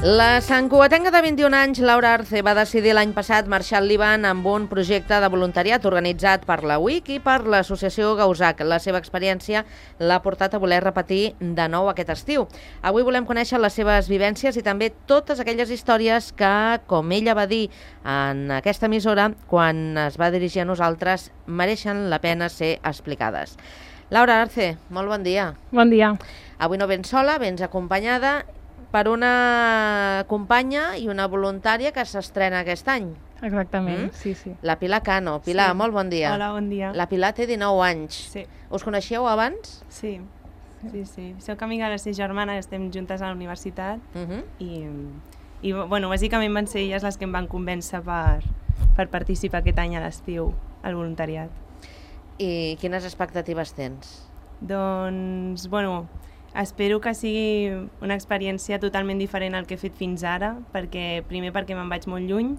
La santcugatenca de 21 anys, Laura Arce, va decidir l'any passat marxar al Líban amb un projecte de voluntariat organitzat per la UIC i per l'associació Gauzac. La seva experiència l'ha portat a voler repetir de nou aquest estiu. Avui volem conèixer les seves vivències i també totes aquelles històries que, com ella va dir en aquesta emissora, quan es va dirigir a nosaltres, mereixen la pena ser explicades. Laura Arce, molt bon dia. Bon dia. Avui no vens sola, vens acompanyada per una companya i una voluntària que s'estrena aquest any. Exactament, sí. La Pilar Cano. Pilar, molt bon dia. Hola, bon dia. La Pilar té 19 anys. Sí. Us coneixeu abans? Sí. Soc amiga de les 6 germanes, estem juntes a la universitat i bueno, bàsicament van ser elles les que em van convèncer per participar aquest any a l'estiu al voluntariat. I quines expectatives tens? Doncs, bueno, espero que sigui una experiència totalment diferent al que he fet fins ara, primer perquè me'n vaig molt lluny,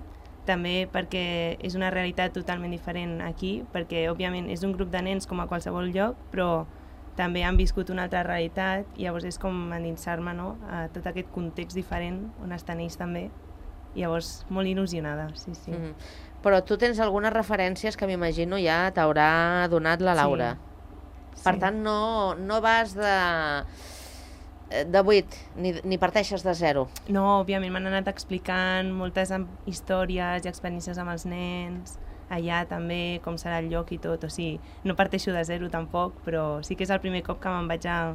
també perquè és una realitat totalment diferent aquí, perquè òbviament és un grup de nens com a qualsevol lloc, però també han viscut una altra realitat, i llavors és com endinsar-me, no?, a tot aquest context diferent on estan ells també, i llavors molt il·lusionada, sí. Però tu tens algunes referències que m'imagino ja t'haurà donat la Laura. Sí. Per tant, no vas de 8, ni parteixes de 0. No, òbviament m'han anat explicant moltes històries i experiències amb els nens, allà també, com serà el lloc i tot, o sigui, no parteixo de 0 tampoc, però sí que és el primer cop que me'n vaig a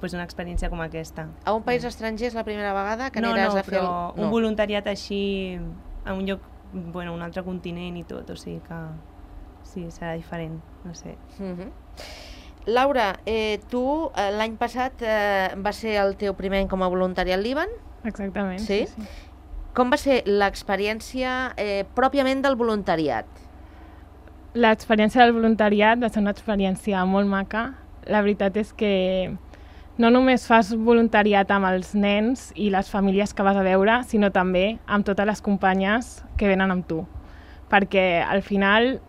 una experiència com aquesta. A un país estranger és la primera vegada que aniràs a fer... No, un voluntariat així, a un lloc, bueno, un altre continent i tot, o sigui que sí, serà diferent, no sé. Laura, tu l'any passat va ser el teu primer any com a voluntari al Líban? Exactament, sí. Com va ser l'experiència pròpiament del voluntariat? L'experiència del voluntariat va ser una experiència molt maca. La veritat és que no només fas voluntariat amb els nens i les famílies que vas a veure, sinó també amb totes les companyes que venen amb tu. Perquè al final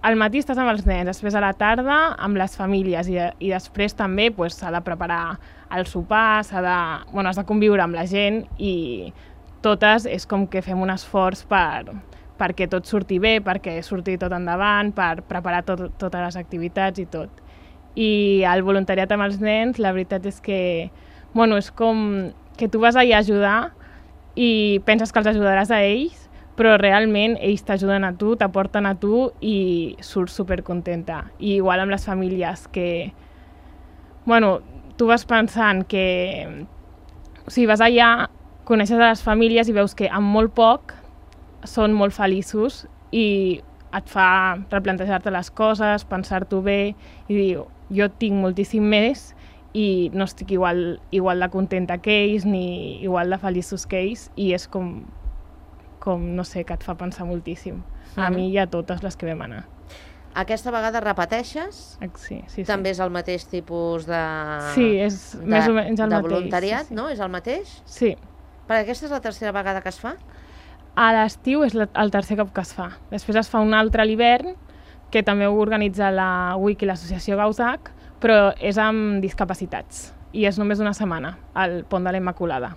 al matí estàs amb els nens, després a la tarda amb les famílies i després també s'ha de preparar el sopar, has de conviure amb la gent i totes és com que fem un esforç perquè tot surti bé, perquè surti tot endavant, per preparar totes les activitats i tot. I el voluntariat amb els nens, la veritat és que és com que tu vas allà a ajudar i penses que els ajudaràs a ells, però realment ells t'ajuden a tu, t'aporten a tu i surts supercontenta. I igual amb les famílies que... tu vas pensant que... O sigui, vas allà, coneixes a les famílies i veus que amb molt poc són molt feliços i et fa replantejar-te les coses, pensar-t'ho bé i dir, jo tinc moltíssim més i no estic igual de contenta que ells ni igual de feliços que ells i és com no sé, que et fa pensar moltíssim. A mi i a totes les que vam anar. Aquesta vegada repeteixes? Sí. També és el mateix tipus de... Sí, és més o menys el mateix. De voluntariat, no? És el mateix? Sí. Perquè aquesta és la tercera vegada que es fa? A l'estiu és el tercer cop que es fa. Després es fa un altre a l'hivern, que també ho organitza la UIC i l'associació Gauzac, però és amb discapacitats. I és només una setmana, al Pont de la Immaculada.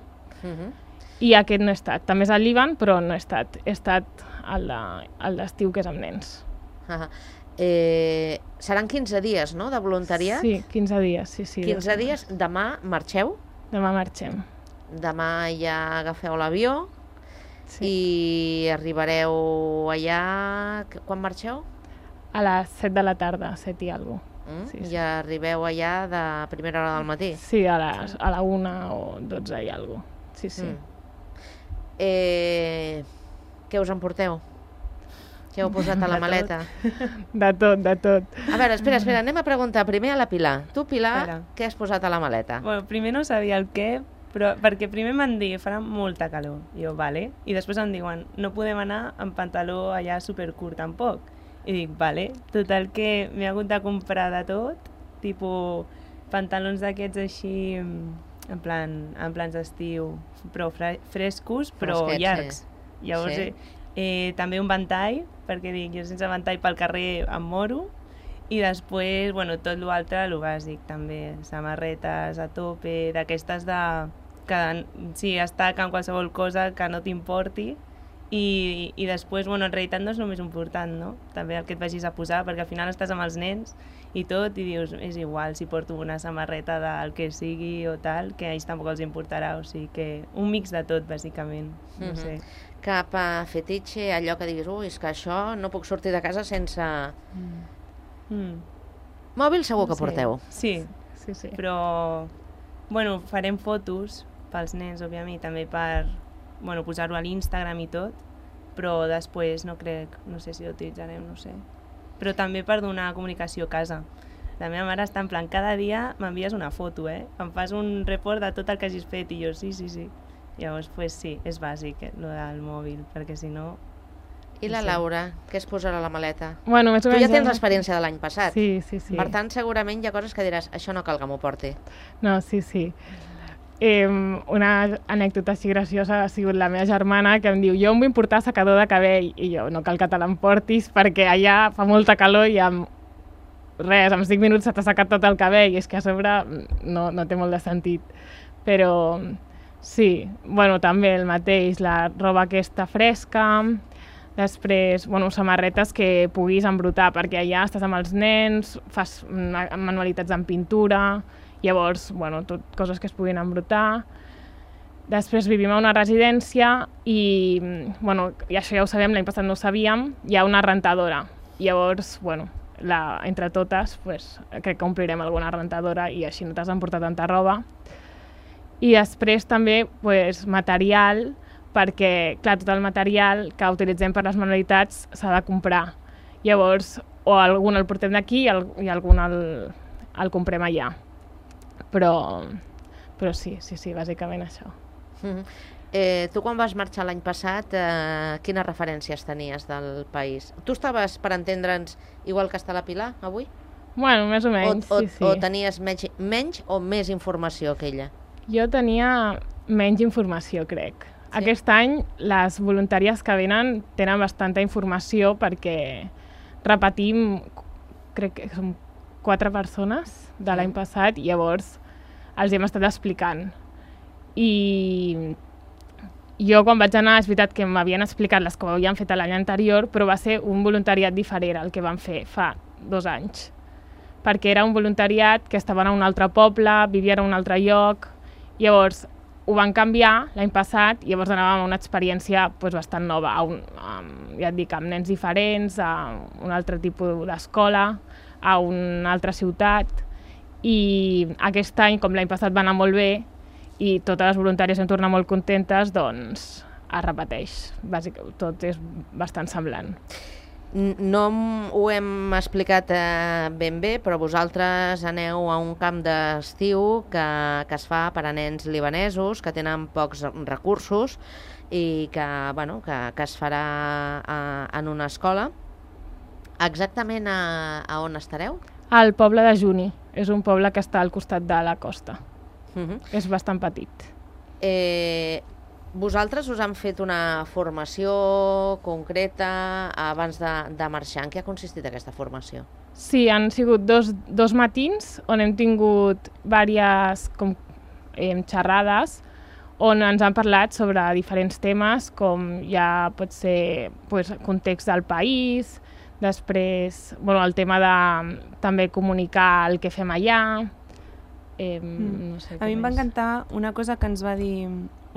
I aquest no he estat. També és al Líban, però no he estat. He estat al d'estiu, que és amb nens. Seran 15 dies, no?, de voluntariat? Sí, 15 dies, sí. 15 dies. Demà marxeu? Demà marxem. Demà ja agafeu l'avió i arribareu allà... Quan marxeu? A les 7 de la tarda, 7 i alguna cosa. I arribeu allà de primera hora del matí? Sí, a la 1 o 12 i alguna cosa. Sí. Què us emporteu? Què heu posat a la maleta? De tot. A veure, espera, anem a preguntar primer a la Pilar. Tu, Pilar, què has posat a la maleta? Bueno, primer no sabia el què, però perquè primer m'han dit farà molta calor. I jo, vale. I després em diuen, no podem anar amb pantaló allà supercurt tampoc. I dic, vale. Total que m'he hagut de comprar de tot, tipus pantalons d'aquests així, en plans d'estiu, però frescos, però llargs. Llavors, també un ventall, perquè dic, jo sense ventall pel carrer em moro, i després, tot l'altre, el bàsic també, samarretes a tope, d'aquestes que sí, estaca en qualsevol cosa que no t'importi i després, bueno, en realitat no és només important, no? També el que et vagis a posar, perquè al final estàs amb els nens i tot, i dius, és igual si porto una samarreta del que sigui o tal, que a ells tampoc els importarà, o sigui que un mix de tot, bàsicament, no sé. Cap fetitxe, allò que diguis, és que això no puc sortir de casa sense... Mòbil segur que porteu. Sí, però, bueno, farem fotos pels nens, òbviament, també per posar-ho a l'Instagram i tot, però després no sé si ho utilitzarem, no sé. Però també per donar comunicació a casa. La meva mare està en plan, cada dia m'envies una foto, em fas un report de tot el que hagis fet, i jo sí. Llavors, pues sí, és bàsic, lo del mòbil, perquè si no... I la Laura, què es posarà a la maleta? Bueno, més o menys... Tu ja tens l'experiència de l'any passat. Sí. Per tant, segurament hi ha coses que diràs, això no cal que m'ho porti. No, sí. Una anècdota així graciosa ha sigut la meva germana, que em diu, jo em vull portar secador de cabell, i jo, no cal que te l'emportis, perquè allà fa molta calor i amb 5 minuts se t'ha secat tot el cabell, i és que a sobre no té molt de sentit. Però sí, bueno, també el mateix, la roba aquesta fresca, després, samarretes que puguis embrutar, perquè allà estàs amb els nens, fas manualitats en pintura, llavors, coses que es puguin embrutar. Després vivim a una residència i això ja ho sabem, l'any passat no ho sabíem, hi ha una rentadora. Llavors, entre totes, crec que omplirem alguna rentadora i així no t'has d'emportar tanta roba. I després també material, perquè, clar, tot el material que utilitzem per les manualitats s'ha de comprar. Llavors, o algun el portem d'aquí i algun el comprem allà. Però sí, bàsicament això. Tu quan vas marxar l'any passat, quines referències tenies del país? Tu estaves, per entendre'ns, igual que està la Pilar avui? Bueno, més o menys, sí. O tenies menys o més informació que ella? Jo tenia menys informació, crec. Sí? Aquest any les voluntàries que venen tenen bastanta informació perquè repetim, crec que som 4 persones de l'any passat, i llavors els hem estat explicant. I jo quan vaig anar, és veritat que m'havien explicat les que ho havien fet l'any anterior, però va ser un voluntariat diferent el que vam fer fa 2 anys. Perquè era un voluntariat que estaven a un altre poble, vivien a un altre lloc, llavors ho van canviar l'any passat i llavors anàvem a una experiència bastant nova, ja et dic, amb nens diferents, a un altre tipus d'escola, a una altra ciutat, i aquest any, com l'any passat va anar molt bé i totes les voluntàries vam tornar molt contentes, doncs es repeteix. Bàsicament, tot és bastant semblant. No ho hem explicat ben bé, però vosaltres aneu a un camp d'estiu que es fa per a nens libanesos que tenen pocs recursos i que es farà en una escola. Exactament a on estareu? Al poble de Juni. És un poble que està al costat de la costa. És bastant petit. Vosaltres us han fet una formació concreta abans de marxar. En què ha consistit aquesta formació? Sí, han sigut dos matins on hem tingut diverses xerrades on ens han parlat sobre diferents temes, com ja pot ser context del país, després el tema de també comunicar el que fem allà. No sé, a mi em va encantar una cosa que ens va dir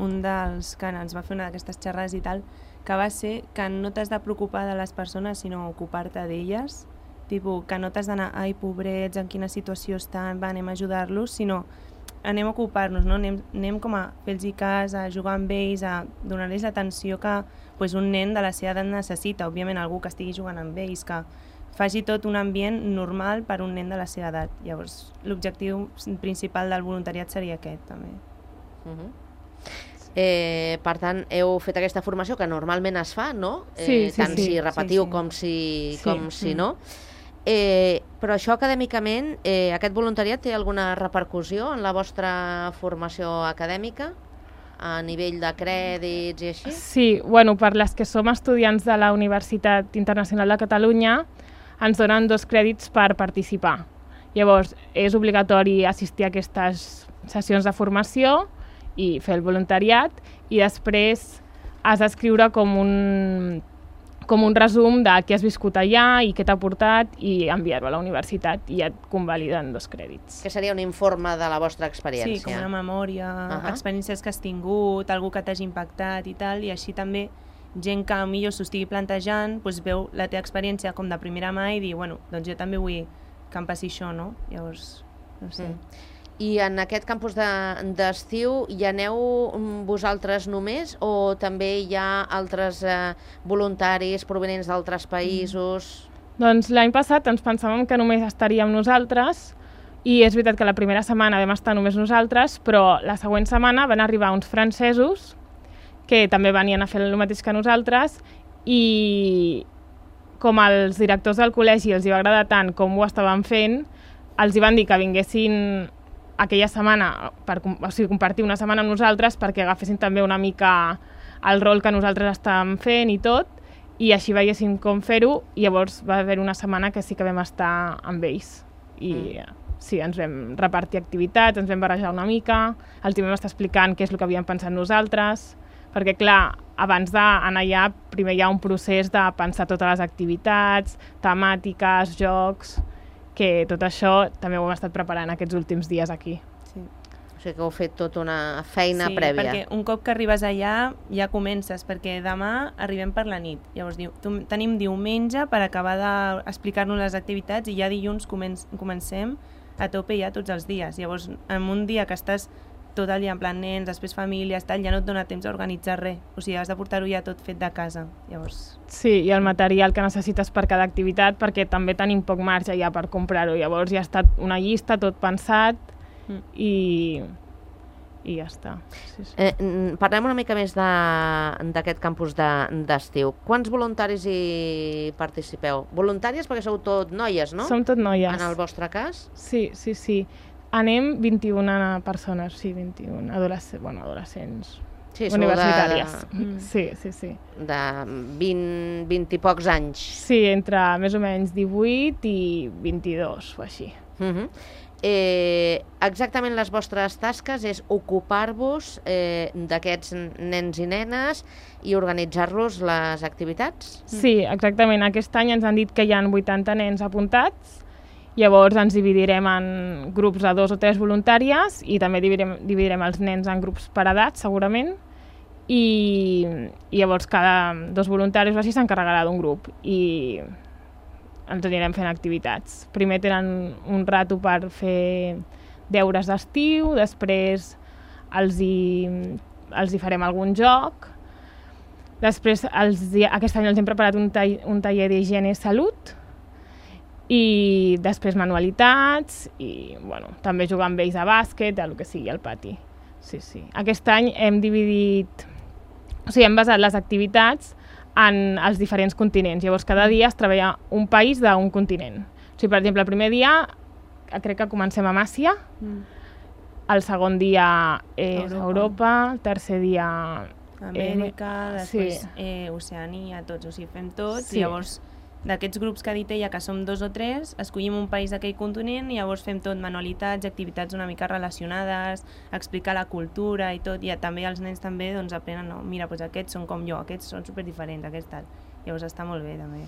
un dels que ens va fer una d'aquestes xerrades i tal, que va ser que no t'has de preocupar de les persones, sinó ocupar-te d'elles, tipus que no t'has d'anar, ai, pobrets, en quina situació estan, anem a ajudar-los, sinó anem a ocupar-nos, no? Anem com a fer-los cas, a jugar amb ells, a donar-los l'atenció que un nen de la seva edat necessita, òbviament algú que estigui jugant amb ells, que faci tot un ambient normal per un nen de la seva edat. Llavors, l'objectiu principal del voluntariat seria aquest, també. Per tant, heu fet aquesta formació que normalment es fa, no? Tant si repetiu com si no. Però això acadèmicament, aquest voluntariat té alguna repercussió en la vostra formació acadèmica? A nivell de crèdits i així? Sí, per les que som estudiants de la Universitat Internacional de Catalunya ens donen 2 crèdits per participar. Llavors, és obligatori assistir a aquestes sessions de formació i fer el voluntariat, i després has d'escriure com un resum de què has viscut allà i què t'ha portat i enviar-ho a la universitat i et convaliden 2 crèdits. Que seria un informe de la vostra experiència. Sí, com una memòria, experiències que has tingut, algú que t'hagi impactat i tal, i així també gent que millor s'ho estigui plantejant veu la teva experiència com de primera mà i dir, bueno, doncs jo també vull que em passi això, no? Llavors, no sé. I en aquest campus d'estiu hi aneu vosaltres només o també hi ha altres voluntaris provenents d'altres països? Doncs l'any passat ens pensàvem que només estaríem nosaltres i és veritat que la primera setmana vam estar només nosaltres, però la següent setmana van arribar uns francesos que també venien a fer el mateix que nosaltres i com els directors del col·legi els hi va agradar tant com ho estaven fent, els hi van dir que vinguessin aquella setmana, compartir una setmana amb nosaltres perquè agafessin també una mica el rol que nosaltres estàvem fent i tot, i així veiessin com fer-ho, i llavors va haver una setmana que sí que vam estar amb ells. I sí, ens vam repartir activitats, ens vam barrejar una mica, els hi vam estar explicant què és el que havíem pensat nosaltres, perquè clar, abans d'anar allà, primer hi ha un procés de pensar totes les activitats, temàtiques, jocs, que tot això també ho hem estat preparant aquests últims dies aquí. Sí. O sigui que heu fet tota una feina prèvia. Sí, perquè un cop que arribes allà ja comences, perquè demà arribem per la nit. Llavors tenim diumenge per acabar d'explicar-nos les activitats i ja dilluns comencem a tope ja tots els dies. Llavors, en un dia que estàs tot el dia en plan nens, després famílies, tal, ja no et dona temps a organitzar res. O sigui, has de portar-ho ja tot fet de casa. Llavors... Sí, i el material que necessites per cada activitat, perquè també tenim poc marge ja per comprar-ho. Llavors ja ha estat una llista, tot pensat, i ja està. Sí, sí. Parlem una mica més d'aquest campus d'estiu. Quants voluntaris hi participeu? Voluntàries perquè sou tot noies, no? Som tot noies. En el vostre cas? Sí, sí, sí. Anem 21 persones, sí, 21 adolescents universitàries. Sí, sí, sí. De 20 i pocs anys. Sí, entre més o menys 18 i 22 o així. Exactament les vostres tasques és ocupar-vos d'aquests nens i nenes i organitzar-los les activitats? Sí, exactament. Aquest any ens han dit que hi ha 80 nens apuntats. Llavors ens dividirem en grups de 2 o 3 voluntàries i també dividirem els nens en grups per edats, segurament, i llavors cada 2 voluntaris o així s'encarregarà d'un grup i ens anirem fent activitats. Primer tenen un rato per fer deures d'estiu, després els hi farem algun joc, després aquest any els hem preparat un taller d'higiene i salut, i després manualitats i bueno, també jugar amb ells a bàsquet, a el que sigui al pati. Sí, sí. Aquest any hem dividit, o sigui, hem basat les activitats en els diferents continents. Llavors cada dia es treballa un país d'un continent. O sigui, per exemple, el primer dia crec que comencem amb Àsia, el segon dia és Europa, el tercer dia Amèrica, després Oceania, tots, o sigui, fem tots, i llavors d'aquests grups que ha dit ella, que som 2 o 3, escollim un país d'aquell continent i llavors fem tot manualitats, activitats una mica relacionades, explicar la cultura i tot, i també els nens també doncs, aprenen, no, mira, doncs aquests són com jo, aquests són superdiferents, aquests tal. Llavors està molt bé també.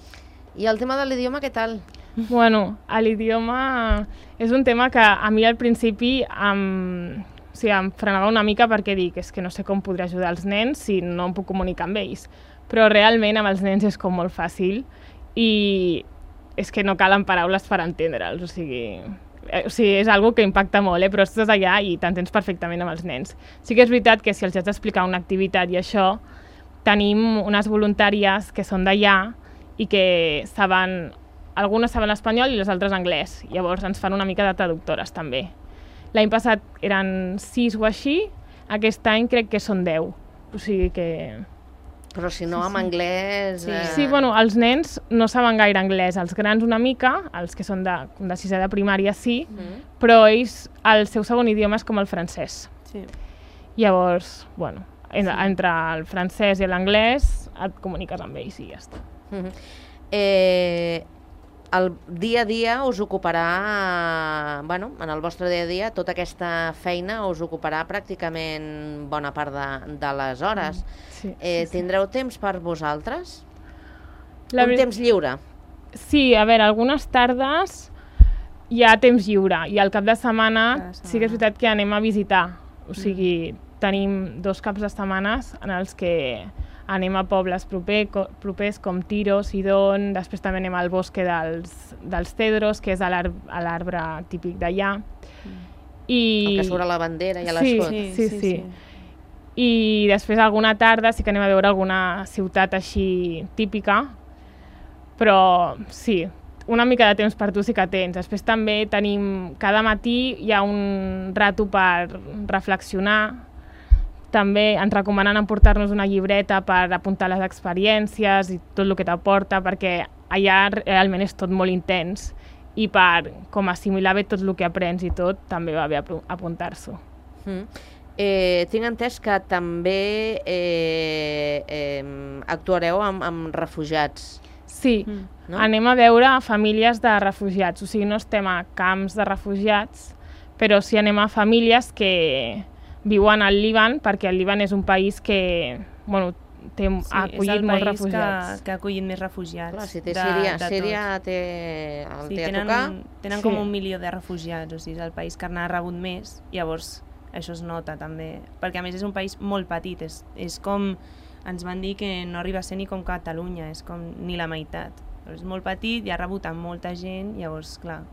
I el tema de l'idioma, què tal? Bueno, l'idioma és un tema que a mi al principi em frenava una mica perquè dic, és que no sé com podré ajudar els nens si no em puc comunicar amb ells. Però realment amb els nens és com molt fàcil i és que no calen paraules per entendre'ls, o sigui, és algo que impacta molt, però estàs allà i t'entens perfectament amb els nens. Sí que és veritat que si els has d'explicar una activitat i això, tenim unes voluntàries que són d'allà i que algunes saben espanyol i les altres anglès, llavors ens fan una mica de traductores també. L'any passat eren 6 o així, aquest any crec que són 10, o sigui que... Però si no, amb anglès... Sí, bueno, els nens no saben gaire anglès, els grans una mica, els que són de 6è de primària sí, però ells, el seu segon idioma és com el francès. Sí. Llavors, bueno, entre el francès i l'anglès et comuniques amb ells i ja està. el dia a dia us ocuparà, bueno, en el vostre dia a dia, tota aquesta feina us ocuparà pràcticament bona part de les hores. Sí, Tindreu temps per vosaltres? La Temps lliure? Sí, a veure, algunes tardes hi ha temps lliure i al cap de setmana sí que és veritat que anem a visitar. O sigui, tenim 2 caps de setmanes en els que anem a pobles propers com Tiro, Sidon, després també anem al bosque dels Cedros, que és l'arbre típic d'allà. El que surt a la bandera i a l'escut. Sí. I després alguna tarda sí que anem a veure alguna ciutat així típica, però sí, una mica de temps per tu sí que tens. Després també tenim, cada matí hi ha un rato per reflexionar. També ens recomanen emportar-nos una llibreta per apuntar les experiències i tot el que t'aporta, perquè allà realment és tot molt intens i per com assimilar bé tot el que aprens i tot, també va bé apuntar-s'ho. Tinc entès que també actuareu amb refugiats. Sí, no? Anem a veure famílies de refugiats, o sigui, no estem a camps de refugiats, però sí anem a famílies que viuen al Líban, perquè el Líban és un país que ha acollit molts refugiats. Que ha acollit més refugiats. Clar, si té Síria té a tocar. Tenen com 1 milió de refugiats, o sigui, és el país que n'ha rebut més, llavors això es nota també, perquè a més és un país molt petit, és com, ens van dir que no arriba a ser ni com Catalunya, és com ni la meitat. És molt petit i ha rebut amb molta gent, llavors, clar.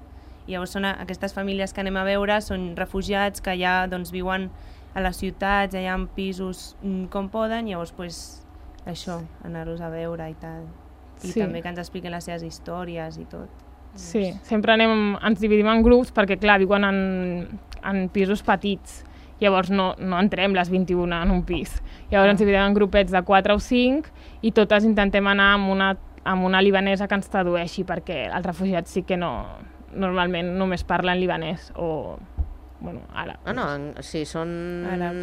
Llavors són aquestes famílies que anem a veure, són refugiats que ja viuen a les ciutats, allà en pisos com poden, llavors això, anar-los a veure i tal. I també que ens expliquen les seves històries i tot. Sí, sempre ens dividim en grups perquè, clar, viuen en pisos petits. Llavors no entrem les 21 en un pis. Llavors ens dividim en grupets de 4 o 5 i totes intentem anar amb una libanesa que ens tradueixi, perquè els refugiats sí que normalment només parlen libanès o àrab. Si són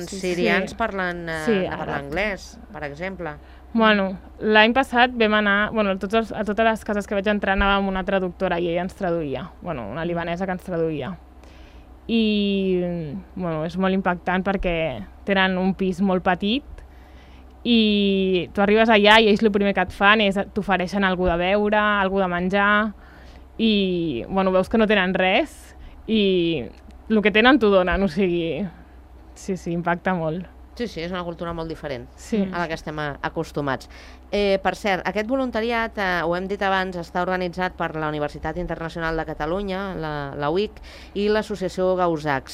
sirians parlen anglès, per exemple. L'any passat vam anar, a totes les cases que vaig entrar anàvem amb una traductora i ella ens traduïa, una libanesa que ens traduïa. I és molt impactant perquè tenen un pis molt petit i tu arribes allà i ells el primer que et fan és t'ofereixen alguna de beure, alguna de menjar i veus que no tenen res i el que tenen t'ho donen, o sigui, sí, impacta molt. Sí, és una cultura molt diferent a la que estem acostumats. Per cert, aquest voluntariat, ho hem dit abans, està organitzat per la Universitat Internacional de Catalunya, la UIC, i l'associació GAUSAC,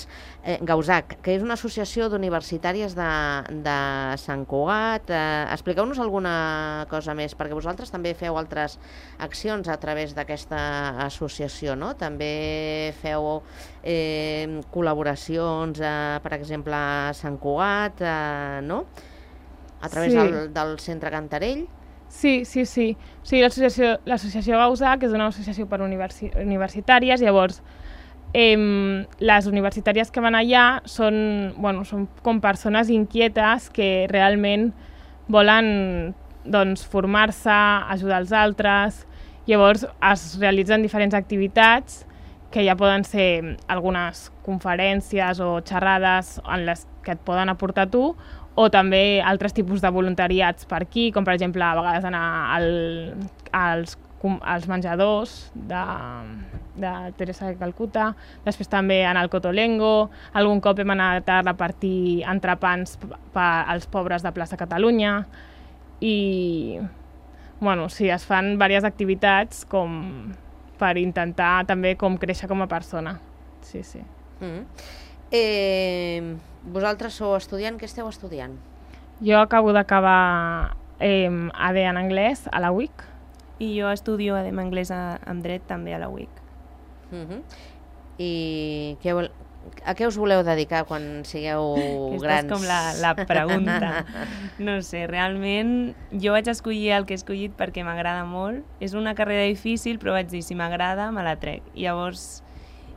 que és una associació d'universitàries de Sant Cugat. Expliqueu-nos alguna cosa més, perquè vosaltres també feu altres accions a través d'aquesta associació, no? També feu col·laboracions, per exemple, a Sant Cugat, no? A través del Centre Cantarell. Sí. O sigui, l'associació GAUSAC és una associació per universitàries, llavors les universitàries que van allà són com persones inquietes que realment volen formar-se, ajudar els altres, llavors es realitzen diferents activitats que ja poden ser algunes conferències o xerrades en les que et poden aportar tu, o també altres tipus de voluntariats per aquí, com per exemple a vegades anar als menjadors de Teresa de Calcuta, després també anar al Cotolengo, algun cop hem anat a repartir entrepans als pobres de Plaça Catalunya i sí, es fan diverses activitats com per intentar també com créixer com a persona. Sí. Vosaltres sou estudiant, què esteu estudiant? Jo acabo d'acabar AD en anglès a la UIC. I jo estudio AD en anglès amb dret també a la UIC. I a què us voleu dedicar quan sigueu grans? Aquesta és com la pregunta. No sé, realment jo vaig escollir el que he escollit perquè m'agrada molt. És una carrera difícil, però vaig dir, si m'agrada, me la trec. Llavors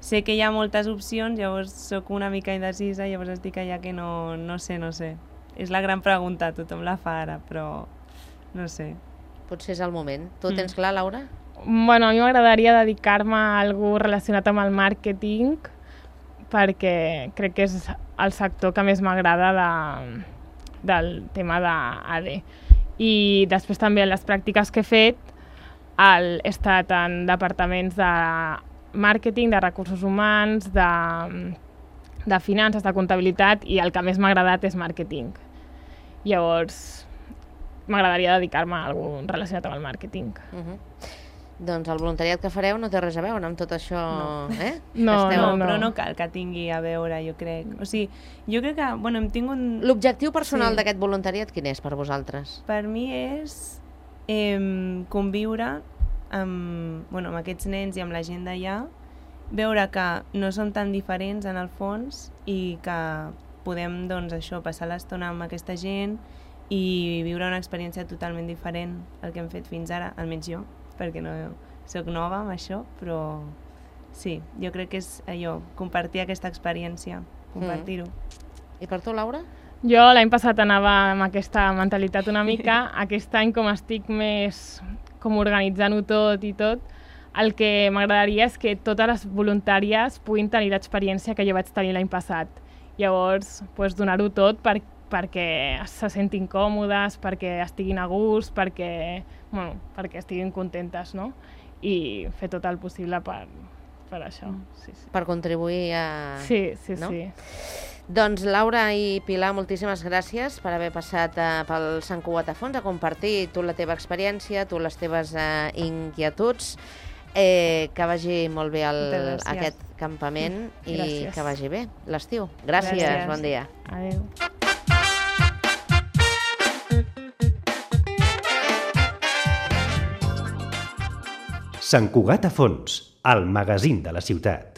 sé que hi ha moltes opcions, llavors sóc una mica indecisa, llavors estic allà que no sé. És la gran pregunta, tothom la fa ara, però no sé. Potser és el moment. Tu ho tens clar, Laura? Bueno, a mi m'agradaria dedicar-me a algú relacionat amb el màrqueting perquè crec que és el sector que més m'agrada del tema d'AD. I després també les pràctiques que he fet he estat en departaments de màrqueting, de recursos humans, de finances, de comptabilitat, i el que més m'ha agradat és màrqueting. Llavors, m'agradaria dedicar-me a algú relacionat amb el màrqueting. Doncs el voluntariat que fareu no té res a veure amb tot això, eh? No, però no cal que tingui a veure, jo crec. O sigui, jo crec que, bueno, hem tingut... L'objectiu personal d'aquest voluntariat quin és per vosaltres? Per mi és conviure amb aquests nens i amb la gent d'allà, veure que no som tan diferents en el fons i que podem, doncs, això, passar l'estona amb aquesta gent i viure una experiència totalment diferent al que hem fet fins ara, almenys jo, perquè no soc nova amb això, però sí, jo crec que és allò, compartir aquesta experiència, compartir-ho. I per tu, Laura? Jo l'any passat anava amb aquesta mentalitat una mica, aquest any com estic més com organitzant-ho tot i tot, el que m'agradaria és que totes les voluntàries puguin tenir l'experiència que jo vaig tenir l'any passat. Llavors, donar-ho tot perquè se sentin còmodes, perquè estiguin a gust, perquè estiguin contentes, no? I fer tot el possible per això. Sí. Per contribuir a... Sí. Doncs Laura i Pilar, moltíssimes gràcies per haver passat pel Sant Cugat a Fons a compartir tu la teva experiència, tu les teves inquietuds. Que vagi molt bé aquest campament i que vagi bé l'estiu. Gràcies, bon dia. Adéu. Sant Cugat a Fons, el magazín de la ciutat.